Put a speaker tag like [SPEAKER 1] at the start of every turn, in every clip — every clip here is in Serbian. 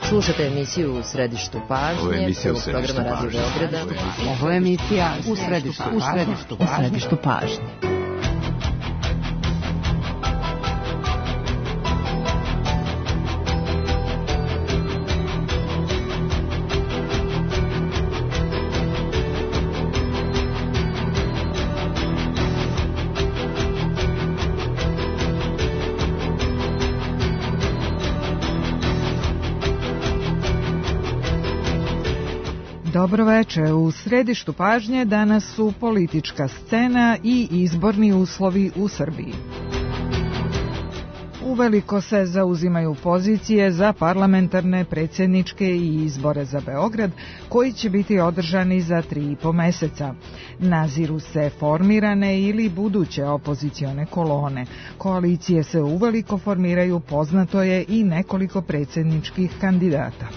[SPEAKER 1] Slušate emisiju U središtu pažnje, prvog programa Radio Beograda.
[SPEAKER 2] Ovo je emisija U središtu pažnje.
[SPEAKER 3] Dobro večer. U središtu pažnje danas su politička scena i izborni uslovi u Srbiji. Uveliko se zauzimaju pozicije za parlamentarne, predsjedničke i izbore za Beograd, koji će biti održani za 3,5 meseca. Naziru se formirane ili buduće opozicione kolone. Koalicije se uveliko formiraju, poznato je i nekoliko predsjedničkih kandidata.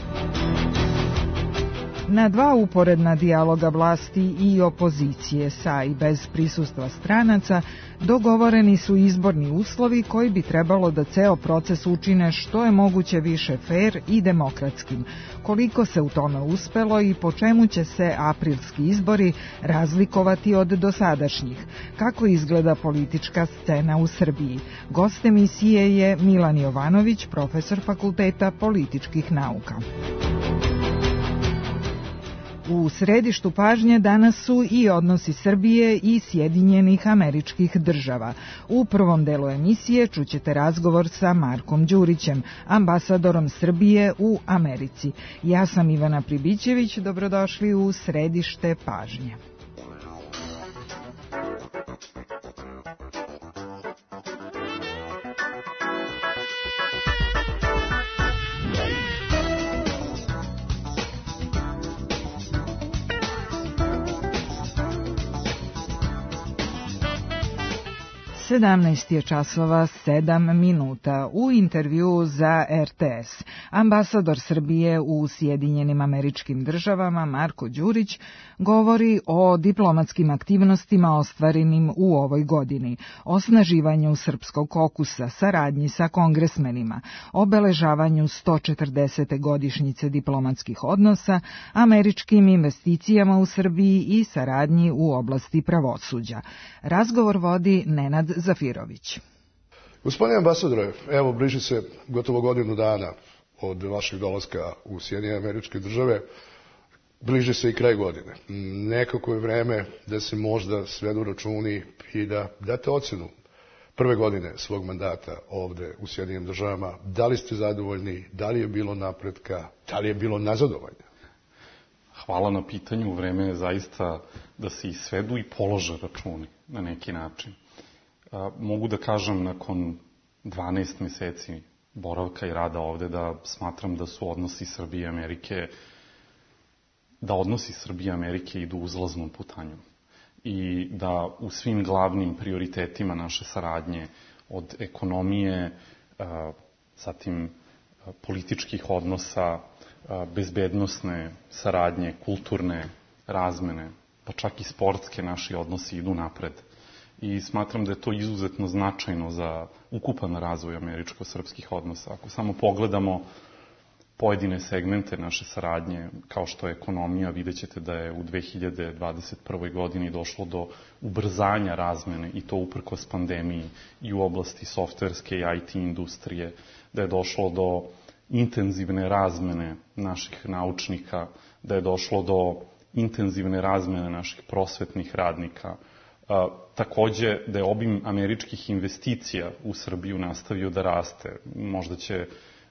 [SPEAKER 3] Na dva uporedna dijaloga vlasti i opozicije sa i bez prisustva stranaca dogovoreni su izborni uslovi koji bi trebalo da ceo proces učine što je moguće više fer i demokratskim. Koliko se u tome uspelo i po čemu će se aprilski izbori razlikovati od dosadašnjih? Kako izgleda politička scena u Srbiji? Gost emisije je Milan Jovanović, profesor Fakulteta političkih nauka. U središtu pažnje danas su i odnosi Srbije i Sjedinjenih Američkih Država. U prvom delu emisije čućete razgovor sa Markom Đurićem, ambasadorom Srbije u Americi. Ja sam Ivana Pribićević, dobrodošli u središte pažnje. Je 17:07. U intervju za RTS ambasador Srbije u Sjedinjenim Američkim Državama Marko Đurić govori o diplomatskim aktivnostima ostvarenim u ovoj godini, osnaživanju srpskog kokusa, saradnji sa kongresmenima, obeležavanju 140. godišnjice diplomatskih odnosa, američkim investicijama u Srbiji i saradnji u oblasti pravosuđa. Razgovor vodi Nenad Zafirović.
[SPEAKER 4] Gospodine ambasadore, evo bliži se gotovo godinu dana od vašeg dolaska u Sjedinjene Američke Države, bliži se i kraj godine. Nekako je vreme da se možda svedu računi i da date ocenu prve godine svog mandata ovde u Sjedinjenim Državama. Da li ste zadovoljni, da li je bilo napretka, da li je bilo nazadovanja?
[SPEAKER 5] Hvala na pitanju, vreme je zaista da se i svedu i polože računi na neki način. Mogu da kažem nakon 12 meseci boravka i rada ovde da smatram da su odnosi Srbije i Amerike idu uzlaznom putanjom i da u svim glavnim prioritetima naše saradnje od ekonomije, zatim političkih odnosa, bezbednosne saradnje, kulturne razmene, pa čak i sportske naši odnosi idu napred. I smatram da je to izuzetno značajno za ukupan razvoj američko-srpskih odnosa. Ako samo pogledamo pojedine segmente naše saradnje, kao što je ekonomija, vidjet ćete da je u 2021. godini došlo do ubrzanja razmene, i to uprkos pandemiji, i u oblasti softverske i IT industrije, da je došlo do intenzivne razmene naših naučnika, da je došlo do intenzivne razmene naših prosvetnih radnika. Takođe da je obim američkih investicija u Srbiju nastavio da raste. Možda će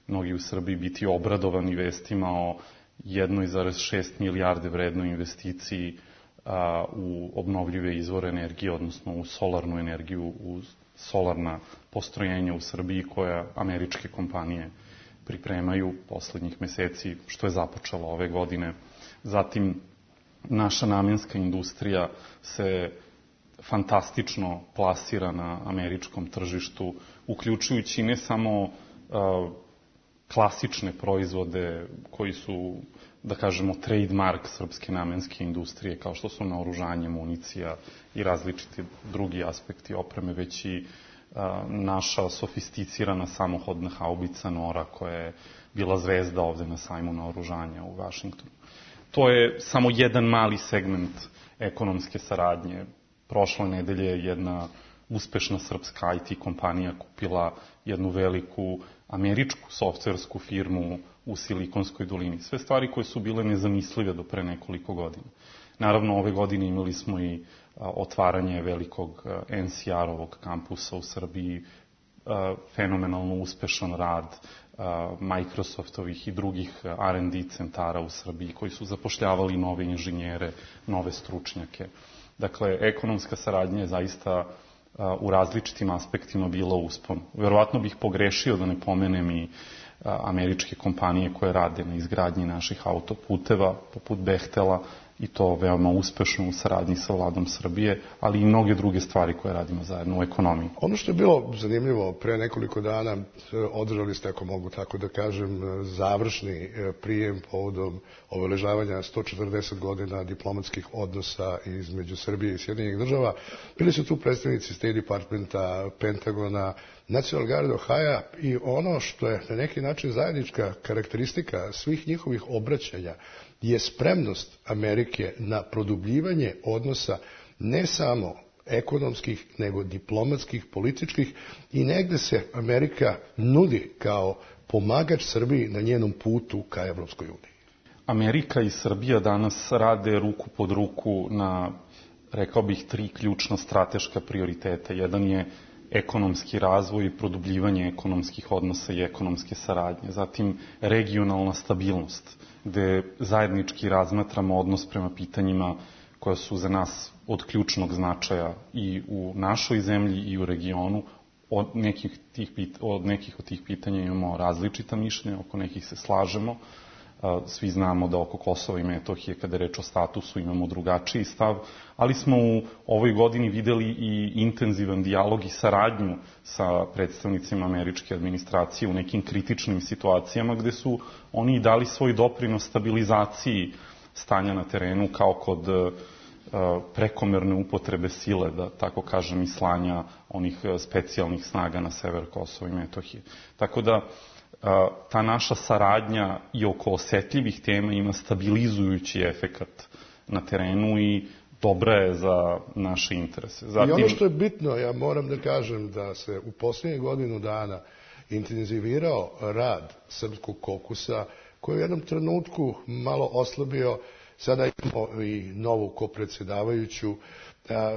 [SPEAKER 5] mnogi u Srbiji biti obradovani vestima o 1,6 milijarde vrednoj investiciji u obnovljive izvore energije, odnosno u solarnu energiju, u solarna postrojenja u Srbiji koja američke kompanije pripremaju poslednjih meseci, što je započelo ove godine. Zatim, naša namenska industrija se fantastično plasira na američkom tržištu, uključujući ne samo klasične proizvode koji su, da kažemo, trademark srpske namenske industrije, kao što su naoružanje, municija i različiti drugi aspekti opreme, već i naša sofisticirana samohodna haubica Nora koja je bila zvezda ovde na sajmu naoružanja u Vašingtonu. To je samo jedan mali segment ekonomske saradnje. Prošle nedelje je jedna uspešna srpska IT kompanija kupila jednu veliku američku softversku firmu u Silikonskoj dolini. Sve stvari koje su bile nezamislive do pre nekoliko godina. Naravno, ove godine imali smo i otvaranje velikog NCR-ovog kampusa u Srbiji, fenomenalno uspešan rad Microsoftovih i drugih R&D centara u Srbiji koji su zapošljavali nove inženjere, nove stručnjake. Dakle, ekonomska saradnja je zaista u različitim aspektima bila uspon. Verovatno bih pogrešio da ne pomenem i američke kompanije koje rade na izgradnji naših autoputeva, poput Behtela, i to veoma uspešno u saradnji sa vladom Srbije, ali i mnoge druge stvari koje radimo zajedno u ekonomiji.
[SPEAKER 4] Ono što je bilo zanimljivo, pre nekoliko dana održali ste, ako mogu tako da kažem, završni prijem povodom obeležavanja 140 godina diplomatskih odnosa između Srbije i Sjedinjenih država. Bili su tu predstavnici State Departmenta, Pentagona, National Guard Ohio i ono što je na neki način zajednička karakteristika svih njihovih obraćanja je spremnost Amerike na produbljivanje odnosa ne samo ekonomskih, nego diplomatskih, političkih i negde se Amerika nudi kao pomagač Srbiji na njenom putu ka Evropskoj uniji.
[SPEAKER 5] Amerika i Srbija danas rade ruku pod ruku na, rekao bih, 3 ključna strateška prioriteta. Jedan je ekonomski razvoj i produbljivanje ekonomskih odnosa i ekonomske saradnje. Zatim regionalna stabilnost, gde zajednički razmatramo odnos prema pitanjima koja su za nas od ključnog značaja i u našoj zemlji i u regionu. Od nekih od tih pitanja imamo različita mišljenja, oko nekih se slažemo. Svi znamo da oko Kosova i Metohije, kada je reč o statusu, imamo drugačiji stav, ali smo u ovoj godini videli i intenzivan dijalog i saradnju sa predstavnicima američke administracije u nekim kritičnim situacijama gde su oni dali svoj doprinos stabilizaciji stanja na terenu, kao kod prekomerne upotrebe sile, da tako kažem, i slanja onih specijalnih snaga na sever Kosova i Metohije. Tako da ta naša saradnja i oko osetljivih tema ima stabilizujući efekat na terenu i dobra je za naše interese.
[SPEAKER 4] I ono što je bitno, ja moram da kažem da se u posljednjih godinu dana intenzivirao rad Srpskog kokusa, koji je u jednom trenutku malo oslabio. Sada imamo i novu kopredsedavajuću.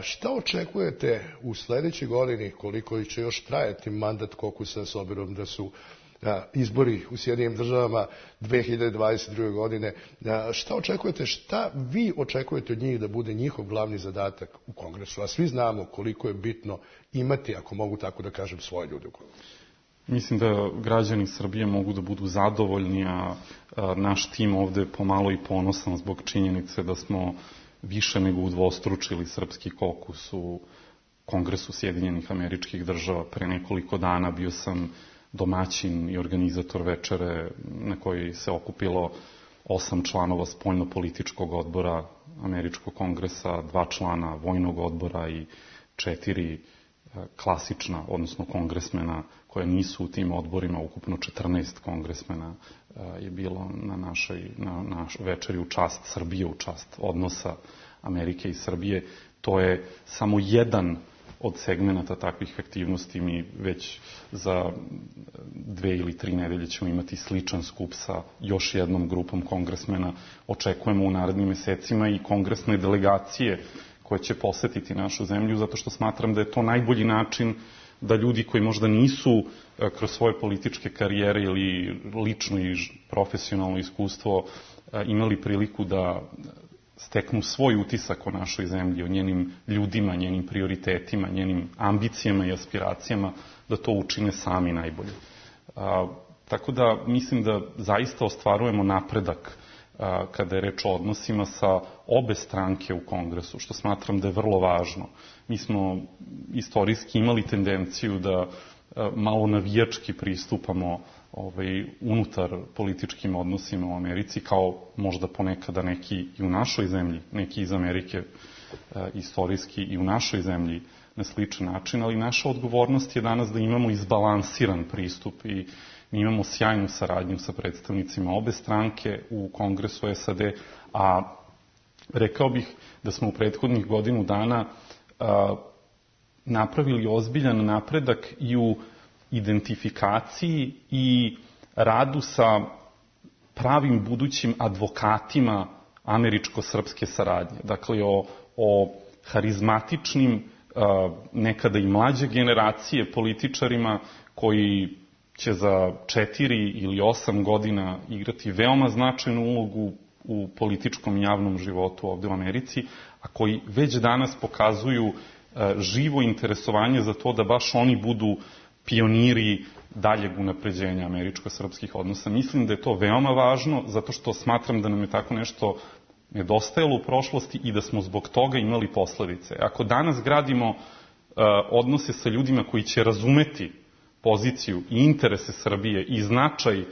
[SPEAKER 4] Šta očekujete u sledećoj godini, koliko će još trajati mandat kokusa, s obzirom da su izbori u Sjedinjenim državama 2022. godine? Šta očekujete, šta vi očekujete od njih da bude njihov glavni zadatak u Kongresu? A svi znamo koliko je bitno imati, ako mogu tako da kažem, svoje ljude u Kongresu.
[SPEAKER 5] Mislim da građani Srbije mogu da budu zadovoljni, a naš tim ovde je pomalo i ponosan zbog činjenice da smo više nego udvostručili srpski kokus u Kongresu Sjedinjenih Američkih Država. Pre nekoliko dana bio sam domaćin i organizator večere na kojoj se okupilo 8 članova spoljno-političkog odbora Američkog kongresa, 2 člana vojnog odbora i 4 klasična, odnosno kongresmena koje nisu u tim odborima. Ukupno 14 kongresmena je bilo na našoj večeri u čast Srbije, u čast odnosa Amerike i Srbije. To je samo jedan od segmenata takvih aktivnosti. Mi već za 2 ili 3 nedelje ćemo imati sličan skup sa još jednom grupom kongresmena. Očekujemo u narednim mesecima i kongresne delegacije koje će posetiti našu zemlju, zato što smatram da je to najbolji način da ljudi koji možda nisu kroz svoje političke karijere ili lično i profesionalno iskustvo imali priliku da steknu svoj utisak o našoj zemlji, o njenim ljudima, njenim prioritetima, njenim ambicijama i aspiracijama, da to učine sami najbolje. Tako da mislim da zaista ostvarujemo napredak kada je reč o odnosima sa obe stranke u Kongresu, što smatram da je vrlo važno. Mi smo istorijski imali tendenciju da malo navijački pristupamo unutar političkim odnosima u Americi, kao možda ponekada neki i u našoj zemlji, neki iz Amerike istorijski i u našoj zemlji na sličan način, ali naša odgovornost je danas da imamo izbalansiran pristup i mi imamo sjajnu saradnju sa predstavnicima obe stranke u Kongresu SAD, a rekao bih da smo u prethodnih godinu dana napravili ozbiljan napredak i u identifikaciji i radu sa pravim budućim advokatima američko-srpske saradnje. Dakle, o harizmatičnim, nekada i mlađe generacije političarima koji će za 4 ili 8 godina igrati veoma značajnu ulogu u političkom i javnom životu ovde u Americi, a koji već danas pokazuju živo interesovanje za to da baš oni budu pioniri daljeg unapređenja američko-srpskih odnosa. Mislim da je to veoma važno, zato što smatram da nam je tako nešto nedostajalo u prošlosti i da smo zbog toga imali posledice. Ako danas gradimo odnose sa ljudima koji će razumeti poziciju i interese Srbije i značaj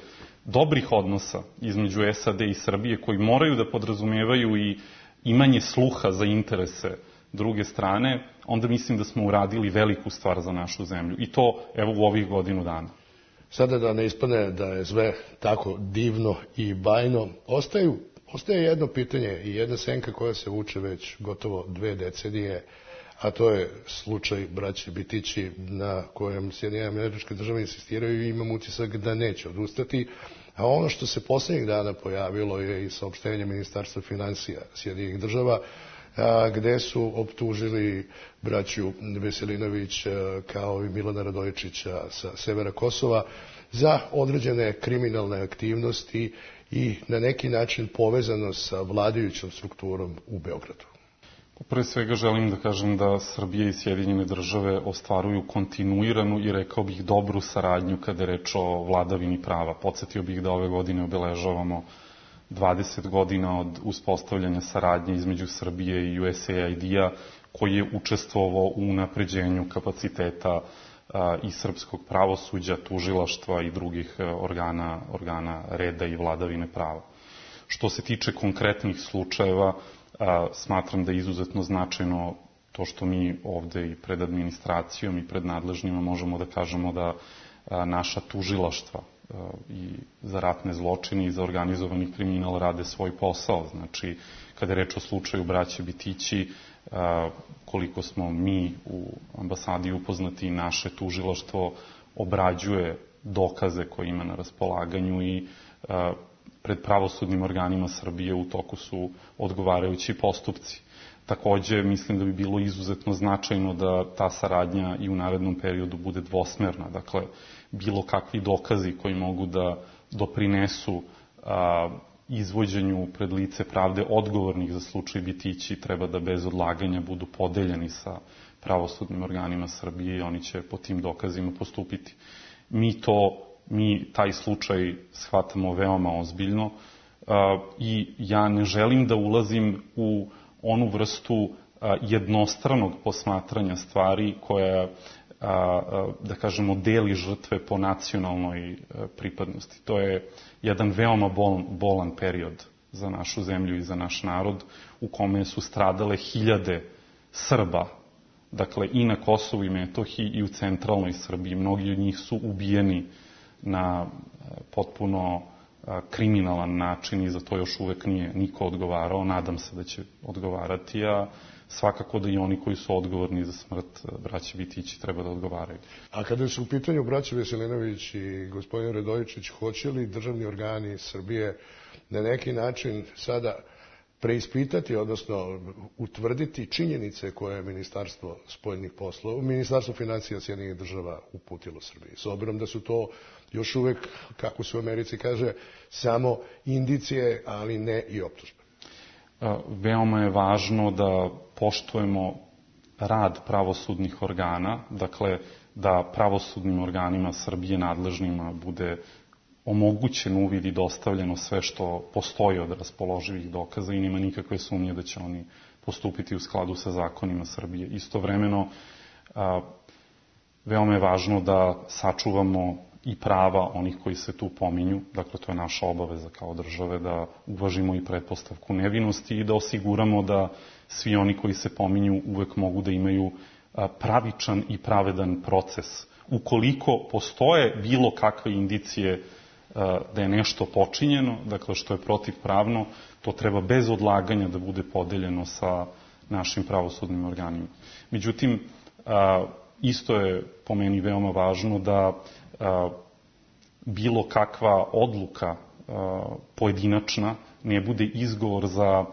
[SPEAKER 5] dobrih odnosa između SAD i Srbije, koji moraju da podrazumevaju i imanje sluha za interese druge strane, onda mislim da smo uradili veliku stvar za našu zemlju. I to, evo, u ovih godinu dana.
[SPEAKER 4] Sada da ne ispane da je sve tako divno i bajno, ostaje jedno pitanje i jedna senka koja se vuče već gotovo 2 decenije, a to je slučaj braće Bitići na kojem Sjedinjene Američke Države insistiraju i imam utisak da neće odustati. A ono što se poslednjih dana pojavilo je i saopštenje Ministarstva finansija Sjedinjenih Država, gde su optužili braću Veselinović kao i Milana Radojičića sa severa Kosova za određene kriminalne aktivnosti i na neki način povezano sa vladajućom strukturom u Beogradu.
[SPEAKER 5] Pre svega želim da kažem da Srbija i Sjedinjene Države ostvaruju kontinuiranu i rekao bih dobru saradnju kada je reč o vladavini prava. Podsetio bih da ove godine obeležavamo 20 godina od uspostavljanja saradnje između Srbije i USAID-a, koji je učestvovao u unapređenju kapaciteta i srpskog pravosuđa, tužilaštva i drugih organa reda i vladavine prava. Što se tiče konkretnih slučajeva, smatram da je izuzetno značajno to što mi ovde i pred administracijom i pred nadležnjima možemo da kažemo da naša tužilaštva i za ratne zločine i za organizovani kriminal rade svoj posao. Znači, kada je reč o slučaju braće Bitići, koliko smo mi u ambasadi upoznati, naše tužilaštvo obrađuje dokaze koje ima na raspolaganju i pred pravosudnim organima Srbije u toku su odgovarajući postupci. Takođe, mislim da bi bilo izuzetno značajno da ta saradnja i u narednom periodu bude dvosmerna. Dakle, bilo kakvi dokazi koji mogu da doprinesu izvođenju pred lice pravde odgovornih za slučaj Bitići treba da bez odlaganja budu podeljeni sa pravosudnim organima Srbije i oni će po tim dokazima postupiti. Mi taj slučaj shvatamo veoma ozbiljno i ja ne želim da ulazim u onu vrstu jednostranog posmatranja stvari koja, da kažemo, deli žrtve po nacionalnoj pripadnosti. To je jedan veoma bolan period za našu zemlju i za naš narod, u kome su stradale hiljade Srba, dakle i na Kosovu i Metohiji i u centralnoj Srbiji. Mnogi od njih su ubijeni na potpuno kriminalan način i za to još uvek nije niko odgovarao. Nadam se da će odgovarati, a svakako da i oni koji su odgovorni za smrt braće Bitići treba da odgovaraju.
[SPEAKER 4] A kada su u pitanju braće Veselinović i gospodin Radojičić, hoće li državni organi Srbije na neki način sada preispitati, odnosno utvrditi činjenice koje je Ministarstvo spoljnih poslova, Ministarstvo finansija Sjedinjenih Država uputilo Srbiji, s obzirom da su to još uvek, kako se u Americi kaže, samo indicije, ali ne i optužbe?
[SPEAKER 5] Veoma je važno da poštujemo rad pravosudnih organa, dakle da pravosudnim organima Srbije nadležnima bude omogućen uvid i dostavljeno sve što postoji od raspoloživih dokaza i nema nikakve sumnje da će oni postupiti u skladu sa zakonima Srbije. Istovremeno, veoma je važno da sačuvamo i prava onih koji se tu pominju, dakle to je naša obaveza kao države, da uvažimo i pretpostavku nevinosti i da osiguramo da svi oni koji se pominju uvek mogu da imaju pravičan i pravedan proces. Ukoliko postoje bilo kakve indicije da je nešto počinjeno, dakle što je protivpravno, to treba bez odlaganja da bude podeljeno sa našim pravosudnim organima. Međutim, isto je po meni veoma važno da bilo kakva odluka pojedinačna ne bude izgovor za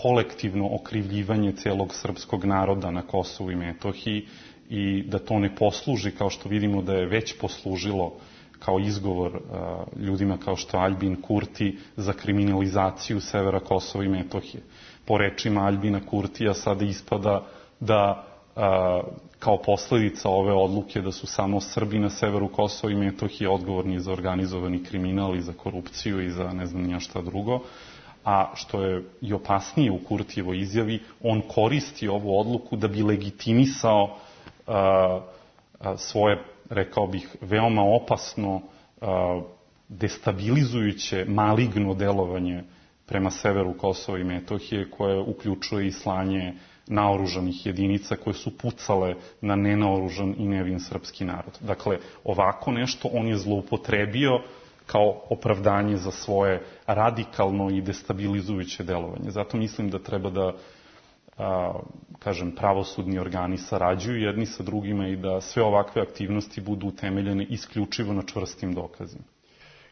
[SPEAKER 5] kolektivno okrivljivanje celog srpskog naroda na Kosovu i Metohiji i da to ne posluži, kao što vidimo da je već poslužilo kao izgovor ljudima kao što Aljbin Kurti za kriminalizaciju severa Kosova i Metohije. Po rečima Aljbina Kurtija sada ispada da kao posledica ove odluke da su samo Srbi na severu Kosova i Metohije odgovorni za organizovani kriminal i za korupciju i za ne znam nija šta drugo, a što je i opasnije u Kurtijevoj izjavi, on koristi ovu odluku da bi legitimisao svoje, rekao bih, veoma opasno, destabilizujuće, maligno delovanje prema severu Kosova i Metohije, koje uključuje i slanje naoružanih jedinica koje su pucale na nenaoružan i nevin srpski narod. Dakle, ovako nešto on je zloupotrebio kao opravdanje za svoje radikalno i destabilizujuće delovanje. Zato mislim da treba da pravosudni organi sarađuju jedni sa drugima i da sve ovakve aktivnosti budu utemeljene isključivo na čvrstim dokazima.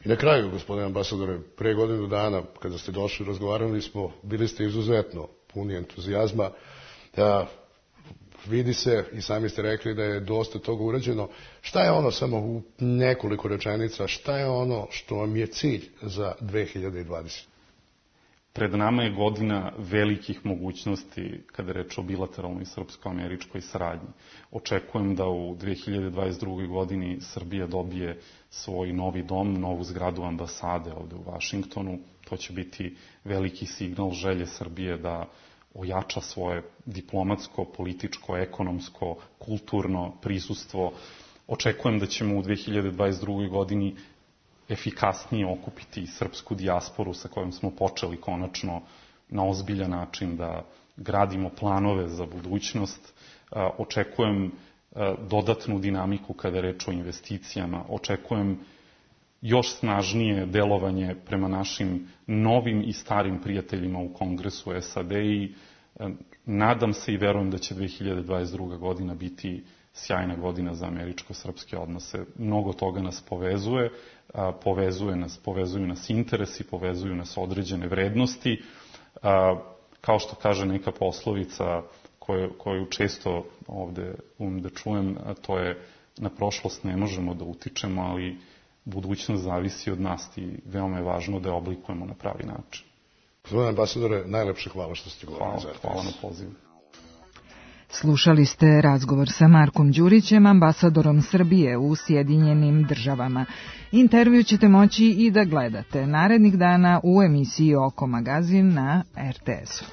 [SPEAKER 4] I na kraju, gospodine ambasadore, pre godinu dana, kada ste došli, razgovarali smo, bili ste izuzetno puni entuzijazma. Vidi se, i sami ste rekli da je dosta toga urađeno. Šta je ono, samo u nekoliko rečenica, šta je ono što vam je cilj za 2020?
[SPEAKER 5] Pred nama je godina velikih mogućnosti kada je reč o bilateralnoj srpsko-američkoj saradnji. Očekujem da u 2022. godini Srbija dobije svoj novi dom, novu zgradu ambasade ovde u Vašingtonu. To će biti veliki signal želje Srbije da ojača svoje diplomatsko, političko, ekonomsko, kulturno prisustvo. Očekujem da ćemo u 2022. godini efikasnije okupiti srpsku dijasporu sa kojom smo počeli konačno na ozbiljan način da gradimo planove za budućnost. Očekujem dodatnu dinamiku kada je reč o investicijama. Očekujem još snažnije delovanje prema našim novim i starim prijateljima u Kongresu SAD i nadam se i verujem da će 2022. godina biti sjajna godina za američko-srpske odnose. Mnogo toga nas povezuje, povezuju nas interesi, povezuju nas određene vrednosti. Kao što kaže neka poslovica koju često ovde da čujem, a to je na prošlost ne možemo da utičemo, ali budućnost zavisi od nas i veoma je važno da je oblikujemo na pravi način.
[SPEAKER 4] Gospodine ambasadore, najlepše hvala što ste govorili za RTS.
[SPEAKER 5] Hvala na pozivu.
[SPEAKER 3] Slušali ste razgovor sa Markom Đurićem, ambasadorom Srbije u Sjedinjenim Državama. Intervju ćete moći i da gledate narednih dana u emisiji Oko magazin na RTS-u.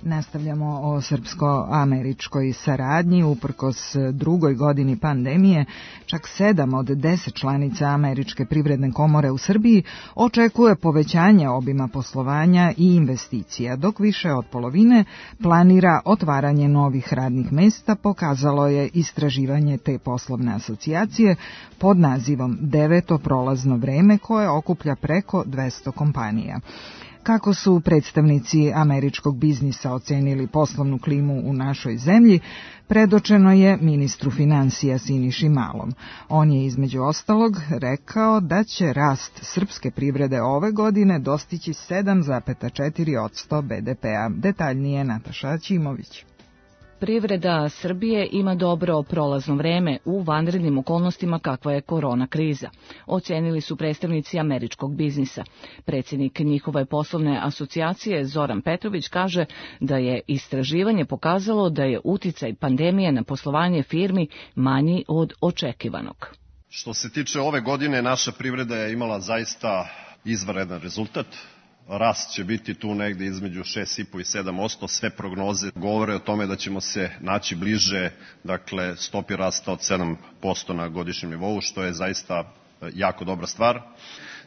[SPEAKER 3] Nastavljamo o srpsko-američkoj saradnji. Uprkos drugoj godini pandemije, čak 7 od 10 članica Američke privredne komore u Srbiji očekuje povećanje obima poslovanja i investicija, dok više od polovine planira otvaranje novih radnih mesta, pokazalo je istraživanje te poslovne asocijacije pod nazivom 9. prolazno vreme, koje okuplja preko 200 kompanija. Kako su predstavnici američkog biznisa ocenili poslovnu klimu u našoj zemlji, predočeno je ministru finansija Siniši Malom. On je između ostalog rekao da će rast srpske privrede ove godine dostići 7,4% BDP-a. Detaljnije Nataša Ćimović.
[SPEAKER 6] Privreda Srbije ima dobro prolazno vreme u vanrednim okolnostima kakva je korona kriza, ocenili su predstavnici američkog biznisa. Predsjednik njihove poslovne asocijacije Zoran Petrović kaže da je istraživanje pokazalo da je uticaj pandemije na poslovanje firmi manji od očekivanog.
[SPEAKER 7] Što se tiče ove godine, naša privreda je imala zaista izvanredan rezultat. Rast će biti tu negde između 6,5 i 7%. Sve prognoze govore o tome da ćemo se naći bliže, stopi rasta od 7% na godišnjem nivou, što je zaista jako dobra stvar.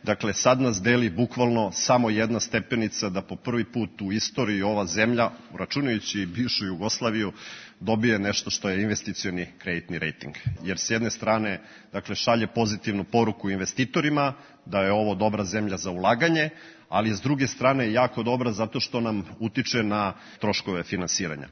[SPEAKER 7] Dakle, sad nas deli bukvalno samo jedna stepenica da po prvi put u istoriji ova zemlja, računajući bivšu Jugoslaviju, dobije nešto što je investicioni kreditni rating. Jer s jedne strane, dakle, šalje pozitivnu poruku investitorima da je ovo dobra zemlja za ulaganje, ali je s druge strane jako dobra zato što nam utiče na troškove finansiranja.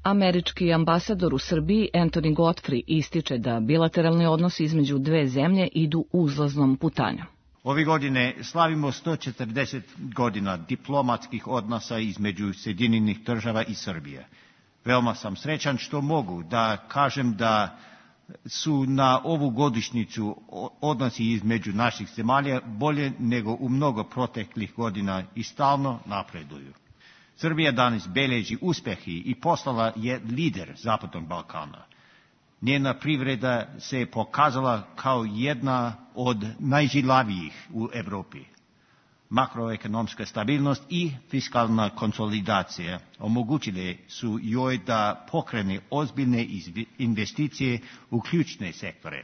[SPEAKER 6] Američki ambasador u Srbiji Anthony Godfrey ističe da bilateralni odnosi između dve zemlje idu uzlaznom putanjom.
[SPEAKER 8] Ove godine slavimo 140 godina diplomatskih odnosa između Sjedinjenih Država i Srbije. Veoma sam srećan što mogu da kažem da su na ovu godišnjicu odnosi između naših zemalja bolje nego u mnogo proteklih godina i stalno napreduju. Srbija danas beleži uspehi i postala je lider Zapadnog Balkana. Njena privreda se pokazala kao jedna od najžilavijih u Evropi. Makroekonomska stabilnost i fiskalna konsolidacija omogućile su joj da pokrene ozbiljne investicije u ključne sektore,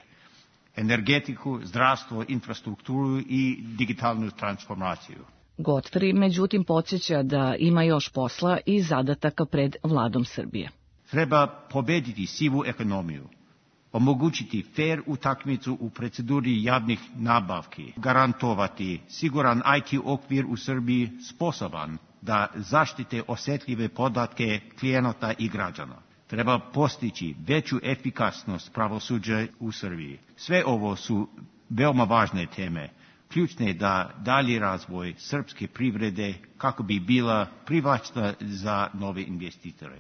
[SPEAKER 8] energetiku, zdravstvo, infrastrukturu i digitalnu transformaciju.
[SPEAKER 6] Godfrey, međutim, podsjeća da ima još posla i zadataka pred vladom Srbije.
[SPEAKER 8] Treba pobediti sivu ekonomiju, omogućiti fair utakmicu u proceduri javnih nabavki, garantovati siguran IT okvir u Srbiji sposoban da zaštite osjetljive podatke klijenata i građana. Treba postići veću efikasnost pravosuđa u Srbiji. Sve ovo su veoma važne teme, ključne da dalji razvoj srpske privrede kako bi bila privlačna za nove investitore.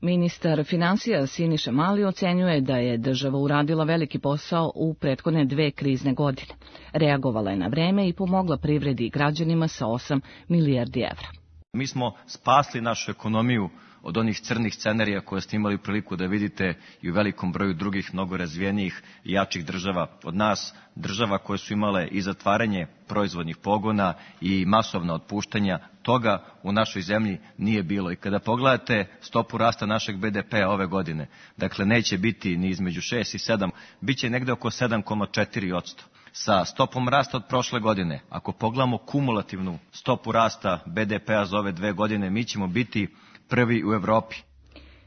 [SPEAKER 6] Ministar finansija Siniša Mali ocenjuje da je država uradila veliki posao u prethodne 2 krizne godine. Reagovala je na vreme i pomogla privredi i građanima sa 8 milijardi evra.
[SPEAKER 9] Mi smo spasli našu ekonomiju od onih crnih scenarija koje ste imali priliku da vidite i u velikom broju drugih mnogo razvijenijih i jačih država od nas, država koje su imale i zatvaranje proizvodnih pogona i masovna otpuštanja. Toga u našoj zemlji nije bilo. I kada pogledate stopu rasta našeg BDP-a ove godine, dakle neće biti ni između 6 i 7, bit će negde oko 7,4%. Sa stopom rasta od prošle godine, ako pogledamo kumulativnu stopu rasta BDP-a za ove 2 godine, mi ćemo biti prvi u Evropi.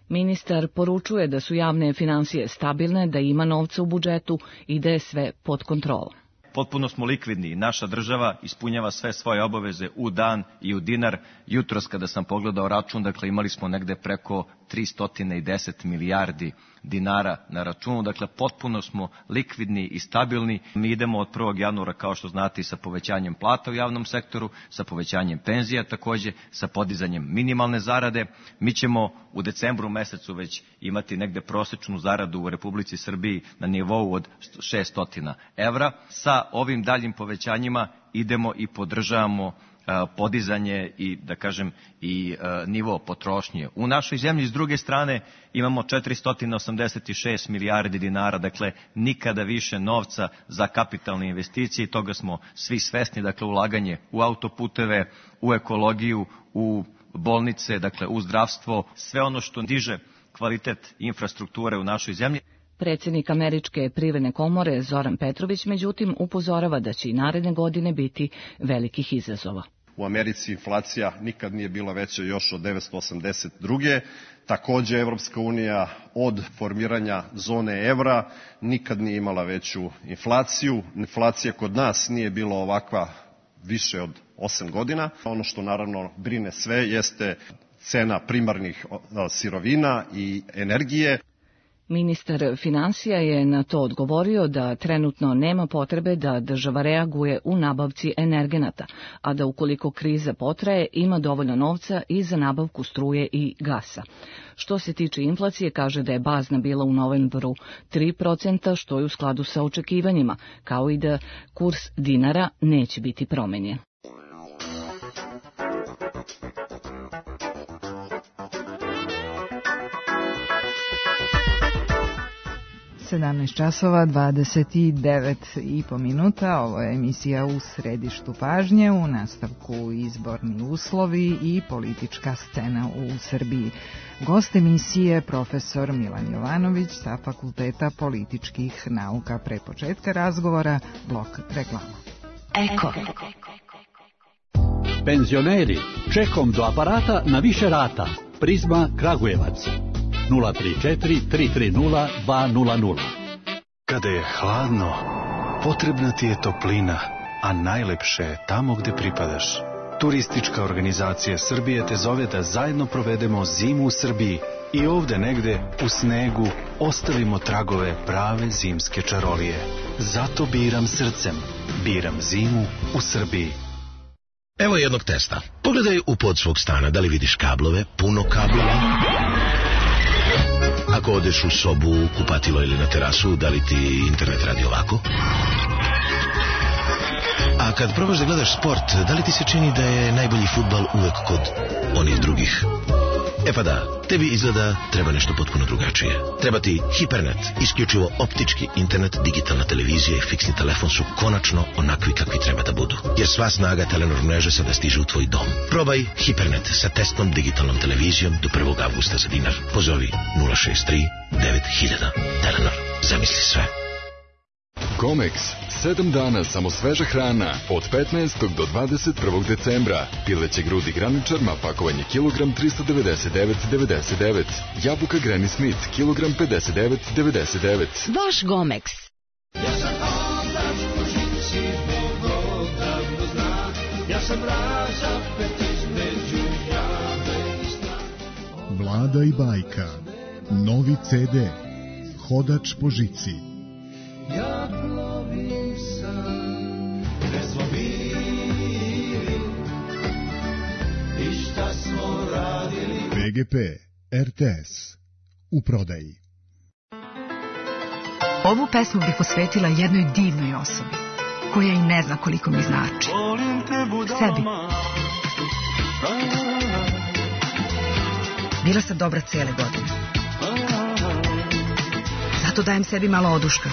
[SPEAKER 6] Ministar poručuje da su javne finansije stabilne, da ima novca u budžetu i da je sve pod kontrolom.
[SPEAKER 9] Potpuno smo likvidni. Naša država ispunjava sve svoje obaveze u dan i u dinar. Jutros kada sam pogledao račun, dakle imali smo negde preko 310 milijardi dinara na računu, dakle potpuno smo likvidni i stabilni. Mi idemo od 1. januara, kao što znate, i sa povećanjem plata u javnom sektoru, sa povećanjem penzija takođe, sa podizanjem minimalne zarade. Mi ćemo u decembru mesecu već imati negde prosečnu zaradu u Republici Srbiji na nivou od 600 evra. Sa ovim daljim povećanjima idemo i podržavamo podizanje i, da kažem, i nivo potrošnje. U našoj zemlji, s druge strane, imamo 486 milijardi dinara, dakle nikada više novca za kapitalne investicije i toga smo svi svesni, dakle ulaganje u autoputeve, u ekologiju, u bolnice, dakle u zdravstvo, sve ono što diže kvalitet infrastrukture u našoj zemlji.
[SPEAKER 6] Predsjednik Američke privredne komore Zoran Petrović, međutim, upozorava da će i naredne godine biti velikih izazova.
[SPEAKER 7] U Americi inflacija nikad nije bila veća još od 1982. Takođe, Evropska unija od formiranja zone evra nikad nije imala veću inflaciju. Inflacija kod nas nije bila ovakva više od 8 godina. Ono što naravno brine sve jeste cena primarnih sirovina i energije.
[SPEAKER 6] Ministar finansija je na to odgovorio da trenutno nema potrebe da država reaguje u nabavci energenata, a da ukoliko kriza potraje ima dovoljno novca i za nabavku struje i gasa. Što se tiče inflacije, kaže da je bazna bila u novembru 3%, što je u skladu sa očekivanjima, kao i da kurs dinara neće biti promenjen.
[SPEAKER 3] 17 časova 29,5 minuta. Ovo je emisija U središtu pažnje, u nastavku izborni uslovi i politička scena u Srbiji. Gost emisije profesor Milan Jovanović sa Fakulteta političkih nauka. Pre početka razgovora blok reklama.
[SPEAKER 10] Eko.
[SPEAKER 11] Penzioneri, čekom do aparata na više rata. Prizma Kragujevac 034 330 200.
[SPEAKER 12] Kada je hladno, potrebna ti je toplina, a najlepše je tamo gde pripadaš. Turistička organizacija Srbije te zove da zajedno provedemo zimu u Srbiji i ovde negde u snegu ostavimo tragove prave zimske čarolije. Zato biram srcem, biram zimu u Srbiji.
[SPEAKER 13] Evo jednog testa. Pogledaj u pod svog stana, da li vidiš kablove, puno kablova. Ako odeš u sobu, kupatilo ili na terasu, da li ti internet radi ovako? A kad probaš da gledaš sport, da li ti se čini da je najbolji fudbal uvek kod onih drugih? E pa da, tebi izgleda treba nešto potpuno drugačije. Treba ti Hipernet, isključivo optički internet, digitalna televizija i fiksni telefon su konačno onakvi kakvi treba da budu. Jer sva snaga Telenor mreže sada stiže u tvoj dom. Probaj Hipernet sa testnom digitalnom televizijom do 1. avgusta za dinar. Pozovi 063 9000. Telenor, zamisli sve.
[SPEAKER 14] Comex, 7 dana samo sveža hrana, od 15. do 21. decembra. Pileće grudi graničarma, pakovanje kilogram 399,99. Jabuka Granny Smith, kilogram 59,99.
[SPEAKER 10] Vaš Gomex.
[SPEAKER 15] Ja sam otač po žici, Bog odavno zna. Ja sam razapet između jave i sna.
[SPEAKER 16] Vlada i bajka, novi CD, Hodač po žici.
[SPEAKER 15] Ja plovim sam, gde smo bili i šta smo radili.
[SPEAKER 16] BGP, RTS, u prodaji.
[SPEAKER 17] Ovu pesmu bih posvetila jednoj divnoj osobi, koja i ne zna koliko mi znači. Sebi. Bila sam dobra cijele godine. Zato dajem sebi malo oduška.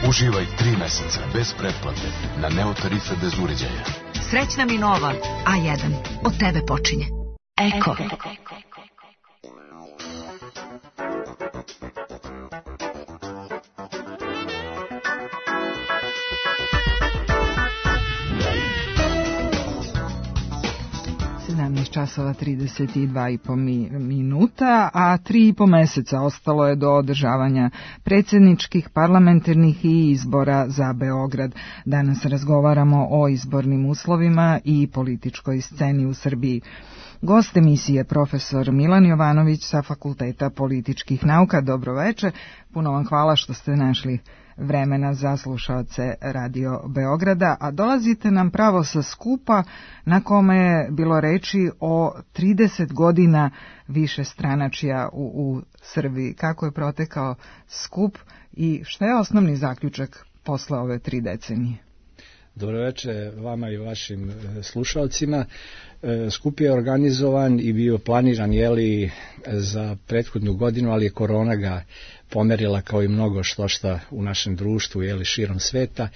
[SPEAKER 18] Uživaj 3 meseca bez pretplate na Neo tarife bez uređaja.
[SPEAKER 17] Srećna mi nova A1. Od tebe počinje. Eko.
[SPEAKER 3] 17 časova 32,5 minuta, a 3,5 meseca ostalo je do održavanja predsjedničkih, parlamentarnih i izbora za Beograd. Danas razgovaramo o izbornim uslovima i političkoj sceni u Srbiji. Gost emisije profesor Milan Jovanović sa Fakulteta političkih nauka. Dobro veče, puno vam hvala što ste našli vremena za slušaoce Radio Beograda, a dolazite nam pravo sa skupa na kome je bilo reči o 30 godina višestranačja u Srbiji. Kako je protekao skup i šta je osnovni zaključak posle ove 3 decenije?
[SPEAKER 19] Dobro večer vama i vašim slušalcima. Skup je organizovan i bio planiran za prethodnu godinu, ali je korona ga pomerila kao i mnogo što u našem društvu širom sveta.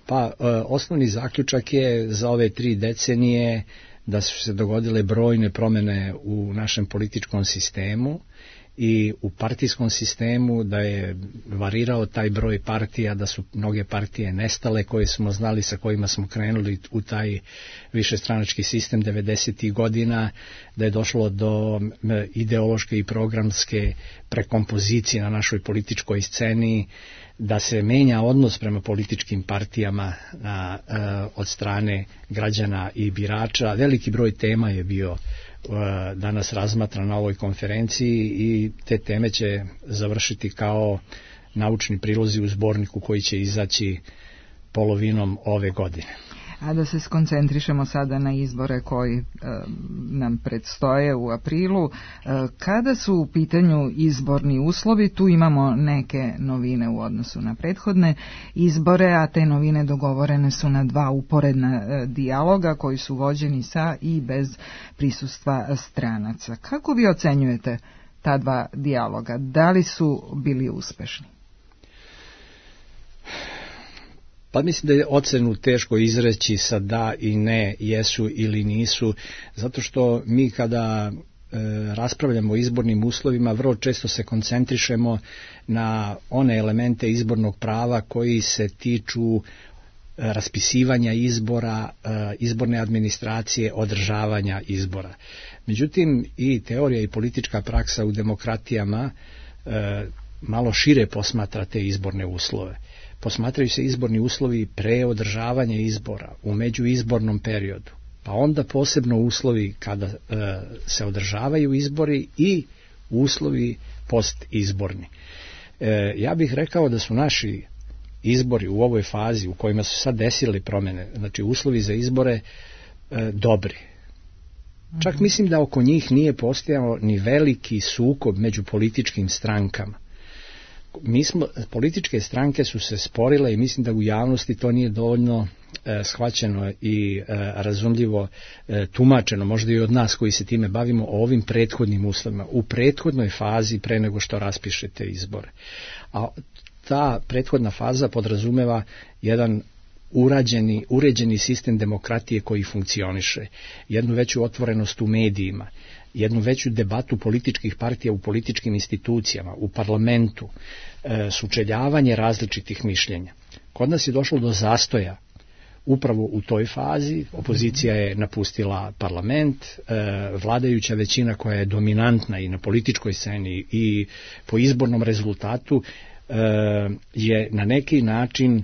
[SPEAKER 19] Pa osnovni zaključak je za ove 3 decenije da su se dogodile brojne promjene u našem političkom sistemu i u partijskom sistemu, da je varirao taj broj partija, da su mnoge partije nestale koje smo znali, sa kojima smo krenuli u taj višestranački sistem 90. godina, da je došlo do ideološke i programske prekompozicije na našoj političkoj sceni, da se menja odnos prema političkim partijama od strane građana i birača. Veliki broj tema je bio danas razmatran na ovoj konferenciji i te teme će završiti kao naučni prilozi u zborniku koji će izaći polovinom ove godine.
[SPEAKER 3] A da se skoncentrišemo sada na izbore koji nam predstoje u aprilu. Kada su u pitanju izborni uslovi, tu imamo neke novine u odnosu na prethodne izbore, a te novine dogovorene su na 2 uporedna dijaloga koji su vođeni sa i bez prisustva stranaca. Kako vi ocenjujete ta dva dijaloga. Da li su bili uspešni?
[SPEAKER 19] Pa mislim da je ocenu teško izreći sa da i ne, jesu ili nisu, zato što mi kada raspravljamo o izbornim uslovima, vrlo često se koncentrišemo na one elemente izbornog prava koji se tiču raspisivanja izbora, izborne administracije, održavanja izbora. Međutim, i teorija i politička praksa u demokratijama malo šire posmatra te izborne uslove. Posmatraju se izborni uslovi pre održavanja izbora, u međuizbornom periodu, pa onda posebno uslovi kada se održavaju izbori i uslovi postizborni. Ja bih rekao da su naši izbori u ovoj fazi u kojima su sad desile promjene, znači uslovi za izbore, dobri. Čak mislim da oko njih nije postojao ni veliki sukob među političkim strankama. Političke stranke su se sporile i mislim da u javnosti to nije dovoljno shvaćeno i razumljivo tumačeno, možda i od nas koji se time bavimo, o ovim prethodnim uslovima, u prethodnoj fazi pre nego što raspišete izbore. A ta prethodna faza podrazumeva jedan uređeni sistem demokratije koji funkcioniše, jednu veću otvorenost u medijima, jednu veću debatu političkih partija u političkim institucijama, u parlamentu, sučeljavanje različitih mišljenja. Kod nas je došlo do zastoja upravo u toj fazi, opozicija je napustila parlament, vladajuća većina koja je dominantna i na političkoj sceni i po izbornom rezultatu je na neki način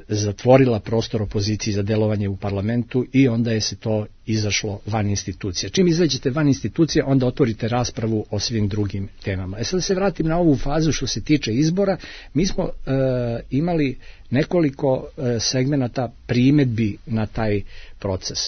[SPEAKER 19] zatvorila prostor opoziciji za delovanje u parlamentu i onda je se to izašlo van institucija. Čim izađete van institucije, onda otvorite raspravu o svim drugim temama. Sad se vratim na ovu fazu što se tiče izbora. Mi smo imali nekoliko segmenata primedbi na taj proces.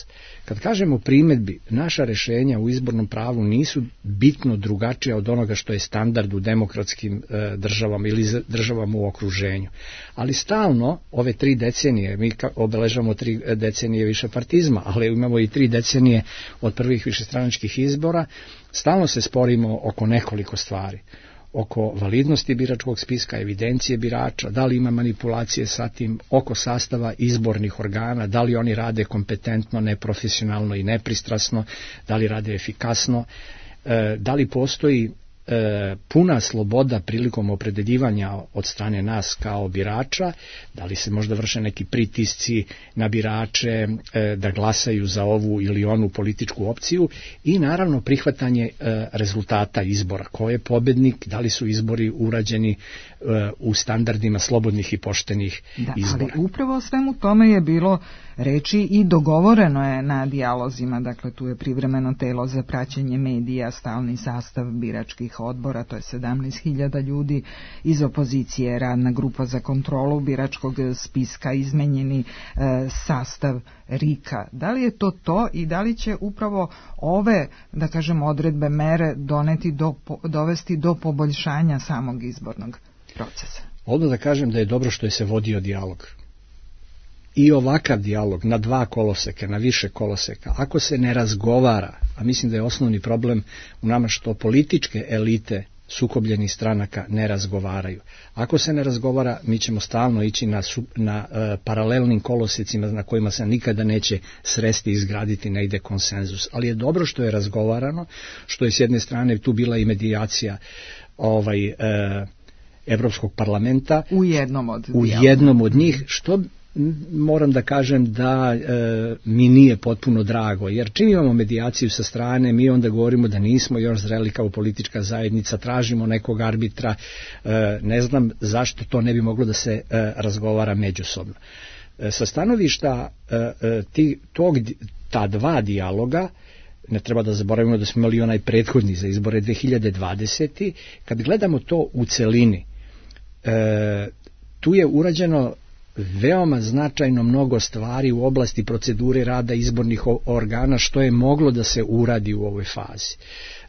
[SPEAKER 19] Kad kažemo primedbi, naša rešenja u izbornom pravu nisu bitno drugačija od onoga što je standard u demokratskim državama ili državama u okruženju. Ali stalno, ove 3 decenije, mi obeležavamo 3 decenije višepartizma, ali imamo i 3 decenije od prvih višestranačkih izbora, stalno se sporimo oko nekoliko stvari. Oko validnosti biračkog spiska, evidencije birača, da li ima manipulacije sa tim, oko sastava izbornih organa, da li oni rade kompetentno, neprofesionalno i nepristrasno, da li rade efikasno, da li postoji puna sloboda prilikom opredeljivanja od strane nas kao birača, da li se možda vrše neki pritisci na birače da glasaju za ovu ili onu političku opciju i naravno prihvatanje rezultata izbora. Ko je pobednik, da li su izbori urađeni u standardima slobodnih i poštenih izbora.
[SPEAKER 3] Ali upravo o svemu tome je bilo reči i dogovoreno je na dijalozima, dakle tu je privremeno telo za praćenje medija, stalni sastav biračkih odbora, to je 17.000 ljudi, iz opozicije radna grupa za kontrolu biračkog spiska, izmenjeni sastav RIK-a. Da li je to i da li će upravo ove, da kažem, odredbe, mere dovesti do poboljšanja samog izbornog procesa?
[SPEAKER 19] Odmah da kažem da je dobro što je se vodio dijalog. I ovakav dijalog na 2 koloseka, na više koloseka, ako se ne razgovara, a mislim da je osnovni problem u nama što političke elite sukobljenih stranaka ne razgovaraju. Ako se ne razgovara, mi ćemo stalno ići na paralelnim kolosecima na kojima se nikada neće sresti i izgraditi negde konsenzus. Ali je dobro što je razgovarano, što je s jedne strane tu bila i medijacija Evropskog parlamenta
[SPEAKER 3] u
[SPEAKER 19] jednom od njih, što moram da kažem da mi nije potpuno drago, jer čim imamo medijaciju sa strane, mi onda govorimo da nismo još zreli kao politička zajednica, tražimo nekog arbitra, ne znam zašto to ne bi moglo da se razgovara međusobno. Sa stanovišta ta 2 dijaloga, ne treba da zaboravimo da smo imali onaj prethodni za izbore 2020. Kad gledamo to u celini, tu je urađeno veoma značajno mnogo stvari u oblasti procedure rada izbornih organa što je moglo da se uradi u ovoj fazi.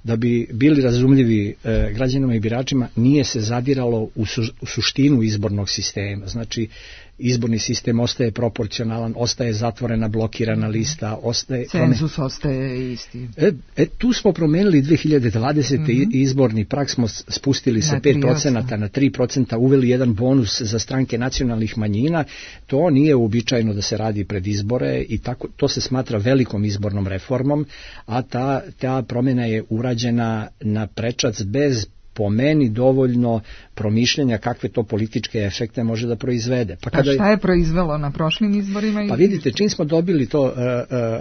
[SPEAKER 19] da bi bili razumljivi građanima i biračima, nije se zadiralo u suštinu izbornog sistema. Znači, izborni sistem ostaje proporcionalan, ostaje zatvorena, blokirana lista,
[SPEAKER 3] cenzus ostaje isti.
[SPEAKER 19] Tu smo promenili 2020. Izborni prag smo spustili sa 5% na 3%, uveli jedan bonus za stranke nacionalnih manjina. To nije uobičajeno da se radi pred izbore i tako, to se smatra velikom izbornom reformom, a ta promjena je urađena na prečac bez, po meni, dovoljno promišljanja kakve to političke efekte može da proizvede.
[SPEAKER 3] Pa šta je proizvelo na prošlim izborima?
[SPEAKER 19] Pa vidite, čim smo dobili to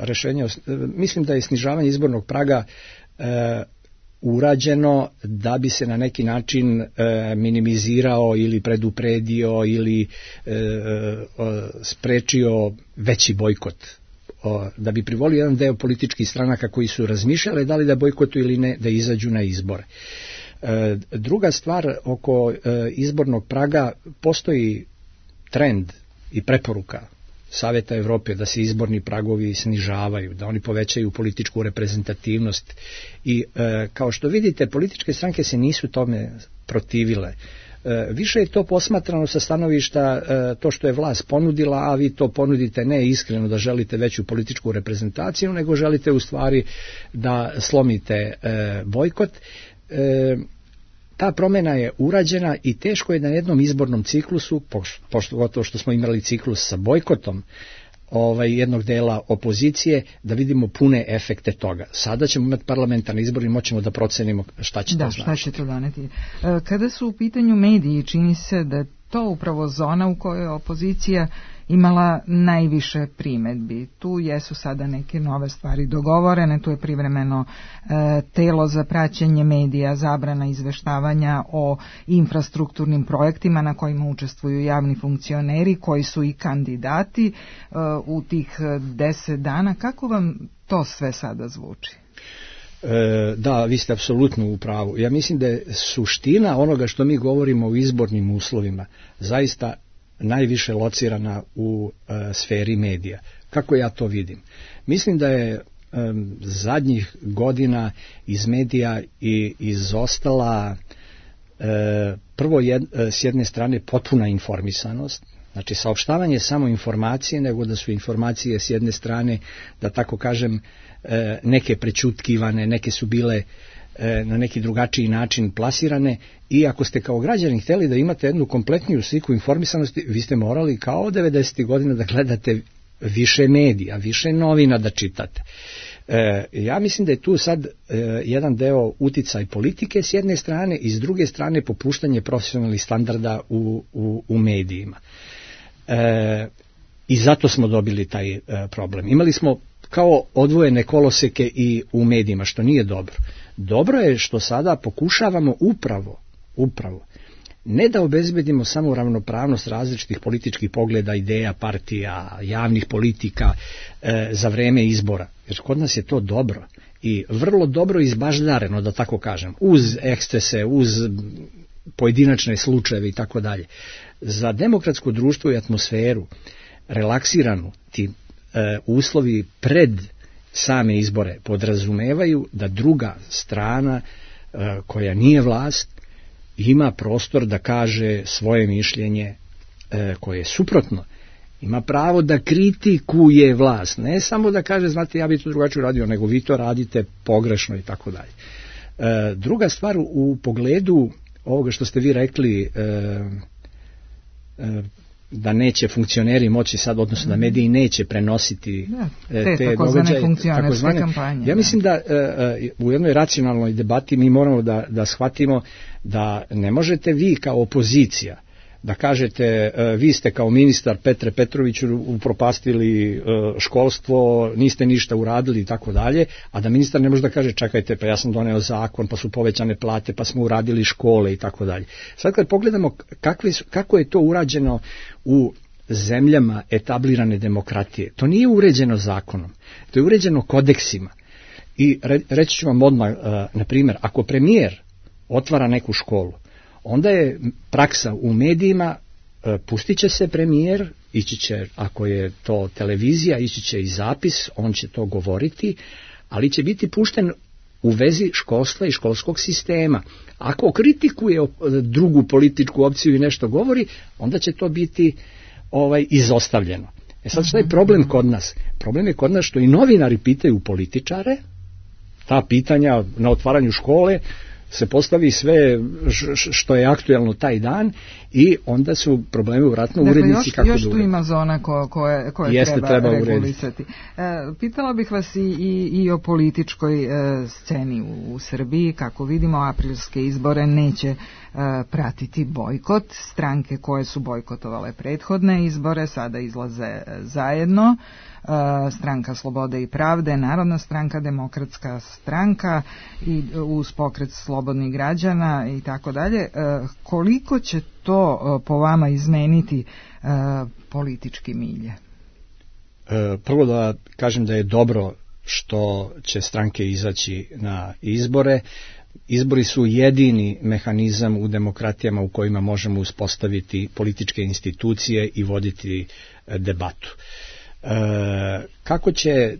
[SPEAKER 19] rešenje, mislim da je snižavanje izbornog praga urađeno da bi se na neki način minimizirao ili predupredio ili sprečio veći bojkot, da bi privolio jedan deo političkih stranaka koji su razmišljali da li da bojkotuju ili ne, da izađu na izbore. Druga stvar, oko izbornog praga postoji trend i preporuka Saveta Evrope da se izborni pragovi snižavaju, da oni povećaju političku reprezentativnost i kao što vidite, političke stranke se nisu tome protivile. Više je to posmatrano sa stanovišta to što je vlast ponudila, a vi to ponudite ne iskreno da želite veću političku reprezentaciju, nego želite u stvari da slomite bojkot. Ta promjena je urađena i teško je na jednom izbornom ciklusu, pogotovo što smo imali ciklus sa bojkotom jednog dela opozicije, da vidimo pune efekte toga. Sada ćemo imati parlamentarne izbore i moćemo da procenimo šta će to znači.
[SPEAKER 3] Šta će to doneti. Kada su u pitanju mediji, čini se da to upravo zona u kojoj opozicija imala najviše primedbi. Tu jesu sada neke nove stvari dogovorene, tu je privremeno telo za praćenje medija, zabrana izveštavanja o infrastrukturnim projektima na kojima učestvuju javni funkcioneri koji su i kandidati u tih 10 dana. Kako vam to sve sada zvuči?
[SPEAKER 19] Da, vi ste apsolutno u pravu. Ja mislim da je suština onoga što mi govorimo o izbornim uslovima zaista najviše locirana u sferi medija. Kako ja to vidim? Mislim da je zadnjih godina iz medija i izostala prvo s jedne strane potpuna informisanost, znači saopštavanje samo informacije, nego da su informacije s jedne strane, da tako kažem, neke prećutkivane, neke su bile na neki drugačiji način plasirane i ako ste kao građani htjeli da imate jednu kompletniju sliku informisanosti, vi ste morali kao 90. godina da gledate više medija, više novina da čitate. Ja mislim da je tu sad jedan deo uticaj politike s jedne strane i s druge strane popuštanje profesionalnih standarda u medijima. I zato smo dobili taj problem. Imali smo kao odvojene koloseke i u medijima, što nije dobro. Dobro je što sada pokušavamo upravo ne da obezbedimo samo ravnopravnost različitih političkih pogleda, ideja, partija, javnih politika za vreme izbora. Jer kod nas je to dobro i vrlo dobro izbaždareno, da tako kažem, uz ekscese, uz pojedinačne slučajeve i tako dalje. Za demokratsko društvo i atmosferu relaksiranu, ti uslovi pred same izbore podrazumevaju da druga strana koja nije vlast ima prostor da kaže svoje mišljenje koje je suprotno. Ima pravo da kritikuje vlast, ne samo da kaže znate ja bi to drugačije uradio, nego vi to radite pogrešno i tako dalje. Druga stvar u pogledu ovoga što ste vi rekli, da neće funkcioneri moći sad, odnosno da mediji neće prenositi te događaje, takozvane kampanje. Ja mislim da u jednoj racionalnoj debati mi moramo da shvatimo da ne možete vi kao opozicija da kažete vi ste kao ministar Petre Petroviću upropastili školstvo, niste ništa uradili i tako dalje, a da ministar ne može da kaže čekajte pa ja sam doneo zakon, pa su povećane plate, pa smo uradili škole i tako dalje. Sad kad pogledamo kako je to urađeno u zemljama etablirane demokratije, to nije uređeno zakonom, to je uređeno kodeksima. I reći ću vam odmah, na primjer, ako premijer otvara neku školu, onda je praksa u medijima, pustit će se premijer, ići će, ako je to televizija, ići će i zapis, on će to govoriti, ali će biti pušten u vezi školstva i školskog sistema. Ako kritikuje drugu političku opciju i nešto govori, onda će to biti izostavljeno. Sad šta je problem kod nas? Problem je kod nas što i novinari pitaju političare, ta pitanja na otvaranju škole se postavi sve što je aktuelno taj dan i onda su problemi vratno urednici kako da uredi.
[SPEAKER 3] Još tu ima zona koje treba regulisati. Pitala bih vas i o političkoj sceni u Srbiji. Kako vidimo, aprilske izbore neće pratiti bojkot. Stranke koje su bojkotovale prethodne izbore sada izlaze zajedno. Stranka Slobode i pravde, Narodna stranka, Demokratska stranka i uz pokret slobodnih građana i tako dalje. Koliko će to po vama izmeniti politički milje?
[SPEAKER 19] Prvo da kažem da je dobro što će stranke izaći na izbore. Izbori su jedini mehanizam u demokratijama u kojima možemo uspostaviti političke institucije i voditi debatu. Kako će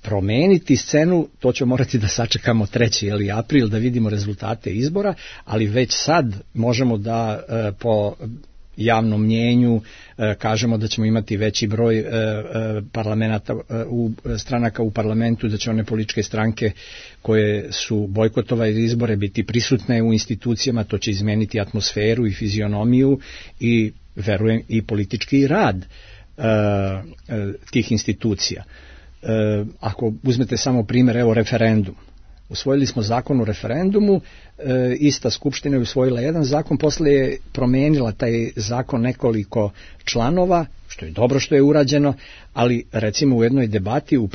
[SPEAKER 19] promeniti scenu, to ćemo morati da sačekamo 3. april da vidimo rezultate izbora, ali već sad možemo da po javnom mnjenju kažemo da ćemo imati veći broj stranaka u parlamentu, da će one političke stranke koje su bojkotovale izbore biti prisutne u institucijama, to će izmeniti atmosferu i fizionomiju i verujem i politički rad tih institucija. Ako uzmete samo primjer, evo referendum. Usvojili smo zakon o referendumu, ista skupština je usvojila jedan zakon, posle je promenila taj zakon nekoliko članova, što je dobro što je urađeno, ali recimo u jednoj debati u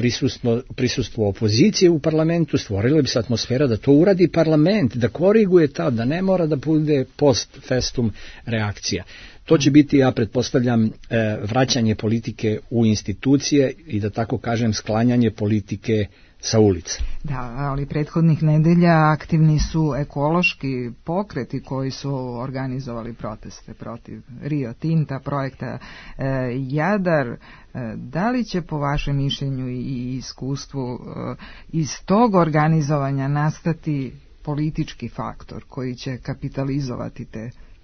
[SPEAKER 19] prisustvu opozicije u parlamentu stvorila bi se atmosfera da to uradi parlament, da koriguje da ne mora da bude post festum reakcija. To će biti, ja pretpostavljam, vraćanje politike u institucije i da tako kažem sklanjanje politike sa ulice.
[SPEAKER 3] Da, ali prethodnih nedelja aktivni su ekološki pokreti koji su organizovali proteste protiv Rio Tinta, projekta Jadar. Da li će po vašem mišljenju i iskustvu iz tog organizovanja nastati politički faktor koji će kapitalizovati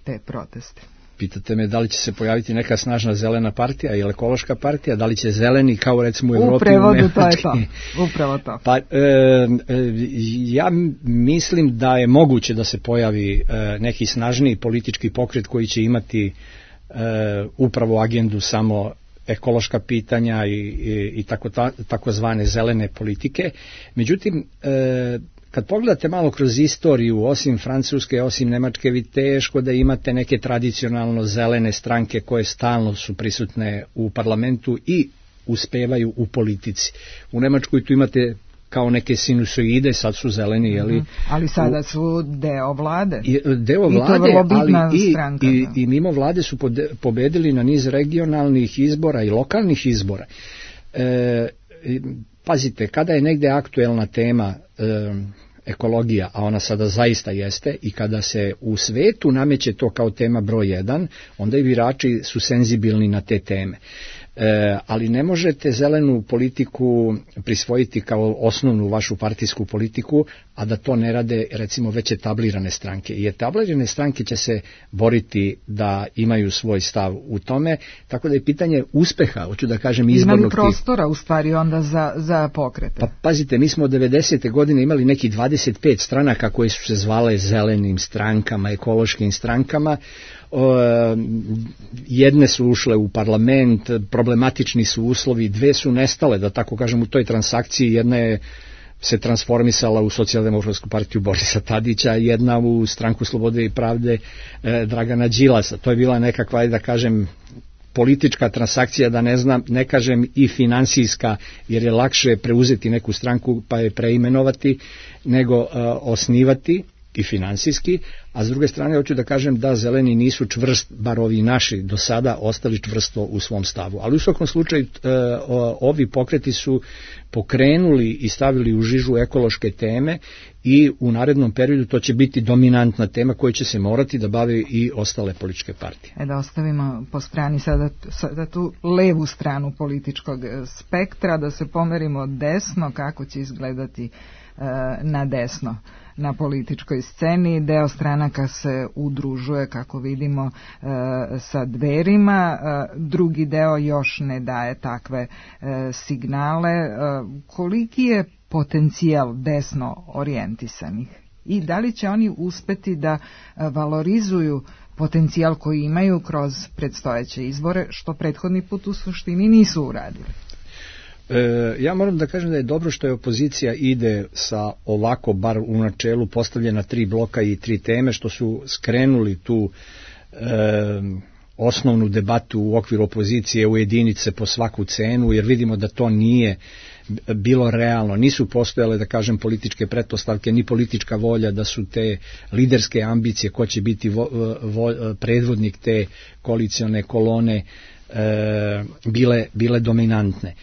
[SPEAKER 3] te proteste?
[SPEAKER 19] Pitate me da li će se pojaviti neka snažna zelena partija ili ekološka partija, da li će zeleni kao recimo u Evropi...
[SPEAKER 3] U prevodu to je to, upravo to.
[SPEAKER 19] Pa, ja mislim da je moguće da se pojavi neki snažniji politički pokret koji će imati upravo agendu samo ekološka pitanja i takozvane zelene politike. Međutim, kad pogledate malo kroz istoriju, osim Francuske, osim Nemačke, vi teško da imate neke tradicionalno zelene stranke koje stalno su prisutne u parlamentu i uspevaju u politici. U Nemačkoj tu imate kao neke sinusoide, sad su zeleni, jeli?
[SPEAKER 3] Ali sada su deo vlade.
[SPEAKER 19] Deo vlade, ali i mimo vlade su pobedili na niz regionalnih izbora i lokalnih izbora. Pazite, kada je negde aktuelna tema ekologija, a ona sada zaista jeste, i kada se u svetu nameće to kao tema broj 1, onda i birači su senzibilni na te teme. Ali ne možete zelenu politiku prisvojiti kao osnovnu vašu partijsku politiku, a da to ne rade recimo već etablirane stranke. I etablirane stranke će se boriti da imaju svoj stav u tome, tako da je pitanje uspeha, hoću da kažem, izbornog
[SPEAKER 3] tipa. Imaju prostora u stvari onda za pokrete.
[SPEAKER 19] Pa pazite, mi smo od 90. godine imali neki 25 stranaka koje su se zvale zelenim strankama, ekološkim strankama. Jedne su ušle u parlament, problematični su uslovi, 2 su nestale, da tako kažem, u toj transakciji. Jedna je se transformisala u Socijaldemokratsku partiju Borisa Tadića, jedna u Stranku slobode i pravde Dragana Đilasa. To je bila nekakva, da kažem, politička transakcija, da ne kažem i finansijska, jer je lakše preuzeti neku stranku pa je preimenovati nego osnivati, i finansijski, a s druge strane hoću da kažem da zeleni nisu čvrst, bar ovi naši do sada, ostali čvrsto u svom stavu. Ali u svakom slučaju ovi pokreti su pokrenuli i stavili u žižu ekološke teme i u narednom periodu to će biti dominantna tema koja će se morati da bave i ostale političke partije.
[SPEAKER 3] Da ostavimo po strani sada tu levu stranu političkog spektra, da se pomerimo desno, kako će izgledati na desno na političkoj sceni. Deo stranaka se udružuje, kako vidimo, sa Dverima, drugi deo još ne daje takve signale. Koliki je potencijal desno orijentisanih i da li će oni uspeti da valorizuju potencijal koji imaju kroz predstojeće izbore, što prethodni put u suštini nisu uradili?
[SPEAKER 19] Ja moram da kažem da je dobro što je opozicija ide sa ovako, bar u načelu, postavljena 3 bloka i 3 teme, što su skrenuli tu osnovnu debatu u okviru opozicije u jedinice po svaku cenu, jer vidimo da to nije bilo realno, nisu postojale, da kažem, političke pretpostavke, ni politička volja da su te liderske ambicije, ko će biti predvodnik te koalicione kolone, bile dominantne.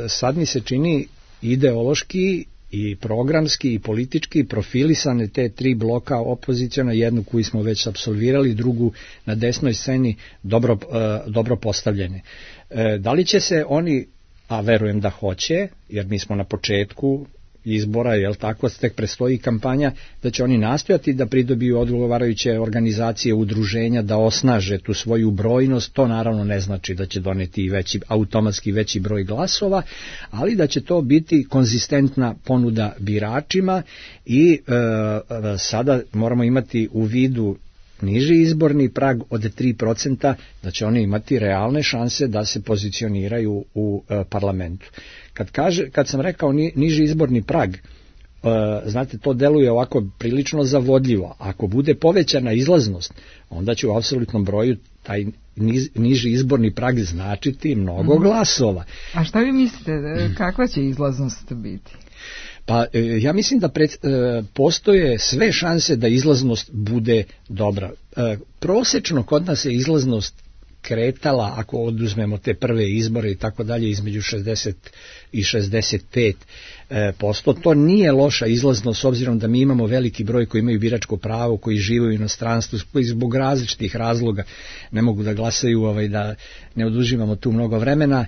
[SPEAKER 19] Sad mi se čini ideološki i programski i politički profilisane te 3 bloka opoziciona, jednu koju smo već apsolvirali, drugu na desnoj sceni dobro postavljene. Da li će se oni, a verujem da hoće, jer mi smo na početku izbora, jel tako, tek predstoji kampanja, da će oni nastojati da pridobiju odgovarajuće organizacije, udruženja, da osnaže tu svoju brojnost. To naravno ne znači da će doneti automatski veći broj glasova, ali da će to biti konzistentna ponuda biračima i sada moramo imati u vidu niži izborni prag od 3%, da će oni imati realne šanse da se pozicioniraju u parlamentu. Kad sam rekao niži izborni prag, znate, to deluje ovako prilično zavodljivo. Ako bude povećana izlaznost, onda će u apsolutnom broju taj niži izborni prag značiti mnogo glasova.
[SPEAKER 3] A šta vi mislite, kakva će izlaznost biti?
[SPEAKER 19] Pa ja mislim da postoje sve šanse da izlaznost bude dobra. Prosečno kod nas je izlaznost kretala, ako oduzmemo te prve izbore i tako dalje, između 60 i 65%. To nije loša izlaznost, s obzirom da mi imamo veliki broj koji imaju biračko pravo, koji žive u inostranstvu, koji zbog različitih razloga ne mogu da glasaju, da ne oduživamo tu mnogo vremena.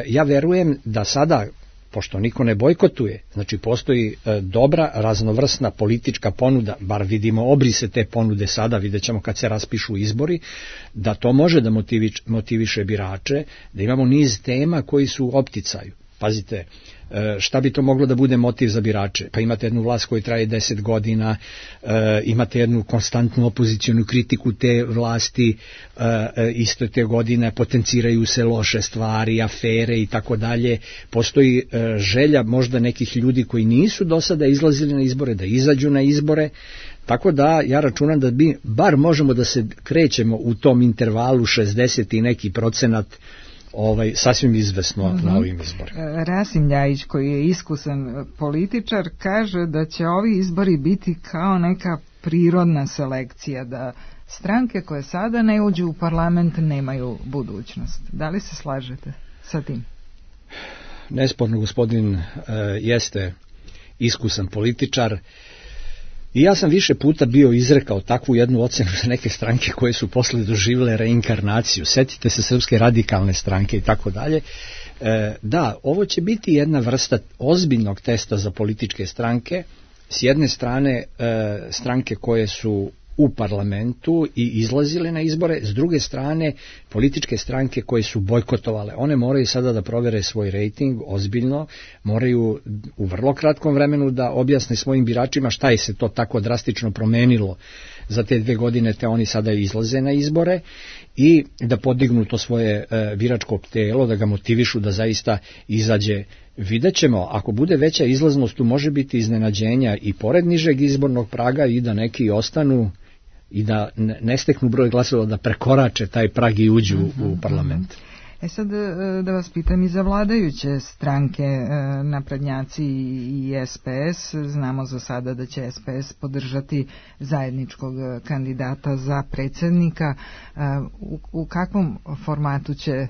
[SPEAKER 19] Ja verujem da sada, pošto niko ne bojkotuje, znači postoji dobra, raznovrsna politička ponuda, bar vidimo obrise te ponude sada, vidjet ćemo kad se raspišu izbori, da to može da motiviše birače, da imamo niz tema koji su u opticaju. Pazite, šta bi to moglo da bude motiv za birače? Pa imate jednu vlast koja traje 10 godina, imate jednu konstantnu opozicionu kritiku te vlasti, isto te godine potenciraju se loše stvari, afere i tako dalje. Postoji želja možda nekih ljudi koji nisu do sada izlazili na izbore, da izađu na izbore. Tako da ja računam da bi bar možemo da se krećemo u tom intervalu 60 i neki procenat, sasvim izvesno na ovim izborima.
[SPEAKER 3] Rasim Ljajić, koji je iskusan političar, kaže da će ovi izbori biti kao neka prirodna selekcija, da stranke koje sada ne uđu u parlament nemaju budućnost. Da li se slažete sa tim?
[SPEAKER 19] Nesporno, gospodin jeste iskusan političar. I ja sam više puta bio izrekao takvu jednu ocenu za neke stranke koje su posle doživjele reinkarnaciju. Setite se Srpske radikalne stranke i tako dalje. Da, ovo će biti jedna vrsta ozbiljnog testa za političke stranke. S jedne strane stranke koje su u parlamentu i izlazile na izbore, s druge strane političke stranke koje su bojkotovale. One moraju sada da provere svoj rejting ozbiljno, moraju u vrlo kratkom vremenu da objasne svojim biračima šta je se to tako drastično promenilo za te 2 godine, te oni sada izlaze na izbore, i da podignu to svoje biračko telo, da ga motivišu da zaista izađe. Vidjet ćemo, ako bude veća izlaznost, tu može biti iznenađenja i pored nižeg izbornog praga, i da neki ostanu i da ne steknu broj glasova, da prekorače taj prag i uđu u parlament.
[SPEAKER 3] Sad da vas pitam i za vladajuće stranke, naprednjaci i SPS. Znamo za sada da će SPS podržati zajedničkog kandidata za predsjednika. U kakvom formatu će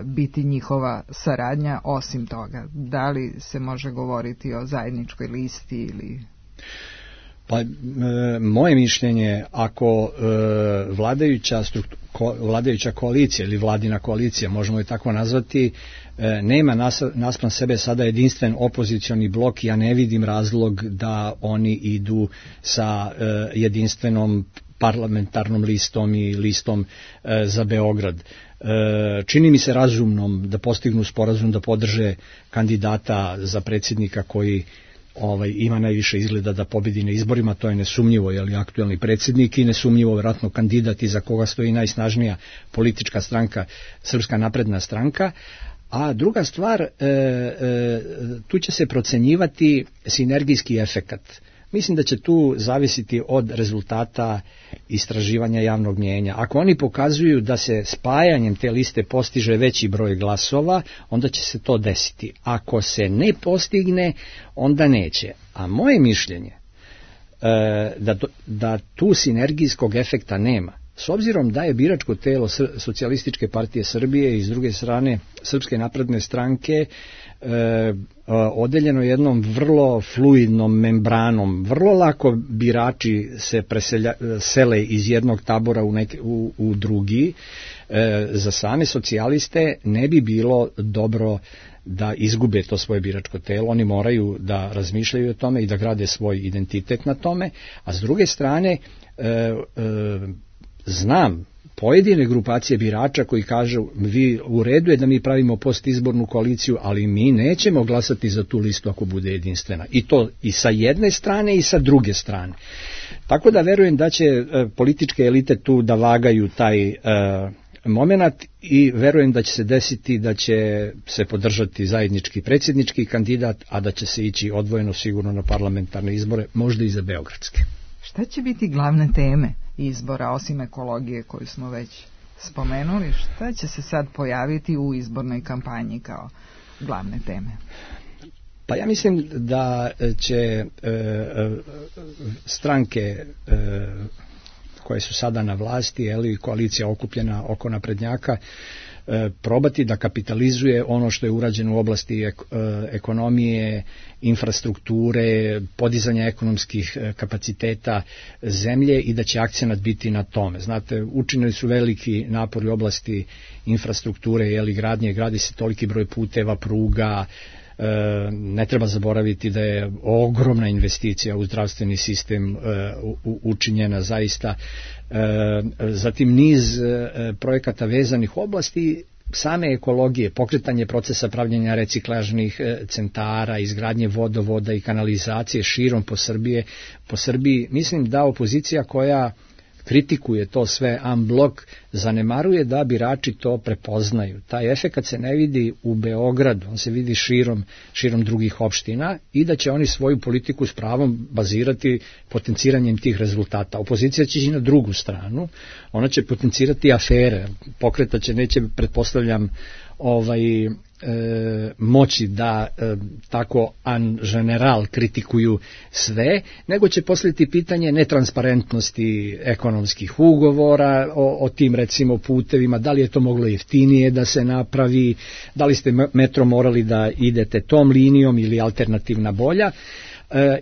[SPEAKER 3] biti njihova saradnja osim toga? Da li se može govoriti o zajedničkoj listi ili...
[SPEAKER 19] Pa, moje mišljenje, ako vladajuća koalicija ili vladina koalicija, možemo je tako nazvati, nema naspram sebe sada jedinstven opozicioni blok, ja ne vidim razlog da oni idu sa jedinstvenom parlamentarnom listom i listom za Beograd. Čini mi se razumnom da postignu sporazum da podrže kandidata za predsjednika koji ima najviše izgleda da pobedi na izborima, to je nesumnjivo, aktuelni predsjednik i nesumnjivo vjerojatno kandidat iza koga stoji najsnažnija politička stranka, Srpska napredna stranka. A druga stvar, tu će se procenjivati sinergijski efekat. Mislim da će tu zavisiti od rezultata istraživanja javnog mnijenja. Ako oni pokazuju da se spajanjem te liste postiže veći broj glasova, onda će se to desiti. Ako se ne postigne, onda neće. A moje mišljenje da tu sinergijskog efekta nema. S obzirom da je biračko telo Socijalističke partije Srbije i s druge strane Srpske napredne stranke odeljeno jednom vrlo fluidnom membranom, vrlo lako birači se sele iz jednog tabora u drugi, za same socijaliste ne bi bilo dobro da izgube to svoje biračko telo, oni moraju da razmišljaju o tome i da grade svoj identitet na tome, a s druge strane znam pojedine grupacije birača koji kažu vi u redu je da mi pravimo postizbornu koaliciju, ali mi nećemo glasati za tu listu ako bude jedinstvena. I to i sa jedne strane i sa druge strane. Tako da verujem da će političke elite tu da vagaju taj moment i verujem da će se desiti da će se podržati zajednički predsjednički kandidat, a da će se ići odvojeno sigurno na parlamentarne izbore, možda i za beogradske.
[SPEAKER 3] Šta će biti glavne teme izbora, osim ekologije koju smo već spomenuli? Šta će se sad pojaviti u izbornoj kampanji kao glavne teme?
[SPEAKER 19] Pa ja mislim da će stranke koje su sada na vlasti, ili koalicija okupljena oko naprednjaka, probati da kapitalizuje ono što je urađeno u oblasti ekonomije, infrastrukture, podizanja ekonomskih kapaciteta zemlje i da će akcenat biti na tome. Znate, učinili su veliki napori u oblasti infrastrukture, gradi se toliki broj puteva, pruga, ne treba zaboraviti da je ogromna investicija u zdravstveni sistem učinjena zaista, zatim niz projekata vezanih u oblasti same ekologije, pokretanje procesa pravljenja reciklažnih centara, izgradnje vodovoda i kanalizacije širom po Srbiji. Mislim da opozicija koja kritikuje to sve en blok, zanemaruje da birači to prepoznaju. Taj efekat se ne vidi u Beogradu, on se vidi širom drugih opština i da će oni svoju politiku s pravom bazirati potenciranjem tih rezultata. Opozicija će ići na drugu stranu, ona će potencirati afere, pokretaće, neće, pretpostavljam, moći da tako en general kritikuju sve, nego će postaviti pitanje netransparentnosti ekonomskih ugovora o tim recimo putevima, da li je to moglo jeftinije da se napravi, da li ste metro morali da idete tom linijom ili alternativna bolja,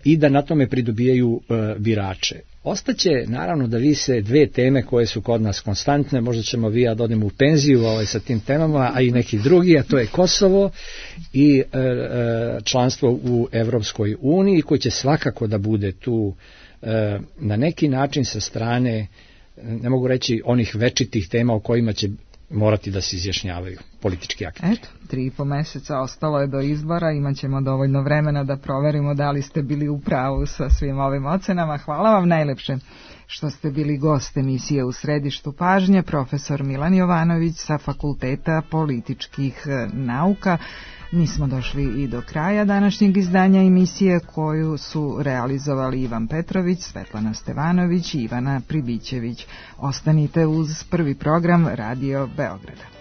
[SPEAKER 19] i da na tome pridobijaju birače. Ostaće naravno da vise dve teme koje su kod nas konstantne, možda ćemo vi ja da odemo u penziju sa tim temama, a i neki drugi, a to je Kosovo i članstvo u Evropskoj uniji, koji će svakako da bude tu na neki način sa strane, ne mogu reći onih večitih tema o kojima će morati da se izjašnjavaju politički akti.
[SPEAKER 3] Eto, 3,5 meseca ostalo je do izbora, imat ćemo dovoljno vremena da proverimo da li ste bili u pravu sa svim ovim ocenama. Hvala vam najlepše što ste bili gost emisije U središtu pažnje, profesor Milan Jovanović sa Fakulteta političkih nauka. Mi smo došli i do kraja današnjeg izdanja emisije koju su realizovali Ivan Petrović, Svetlana Stevanović i Ivana Pribićević. Ostanite uz prvi program Radio Beograda.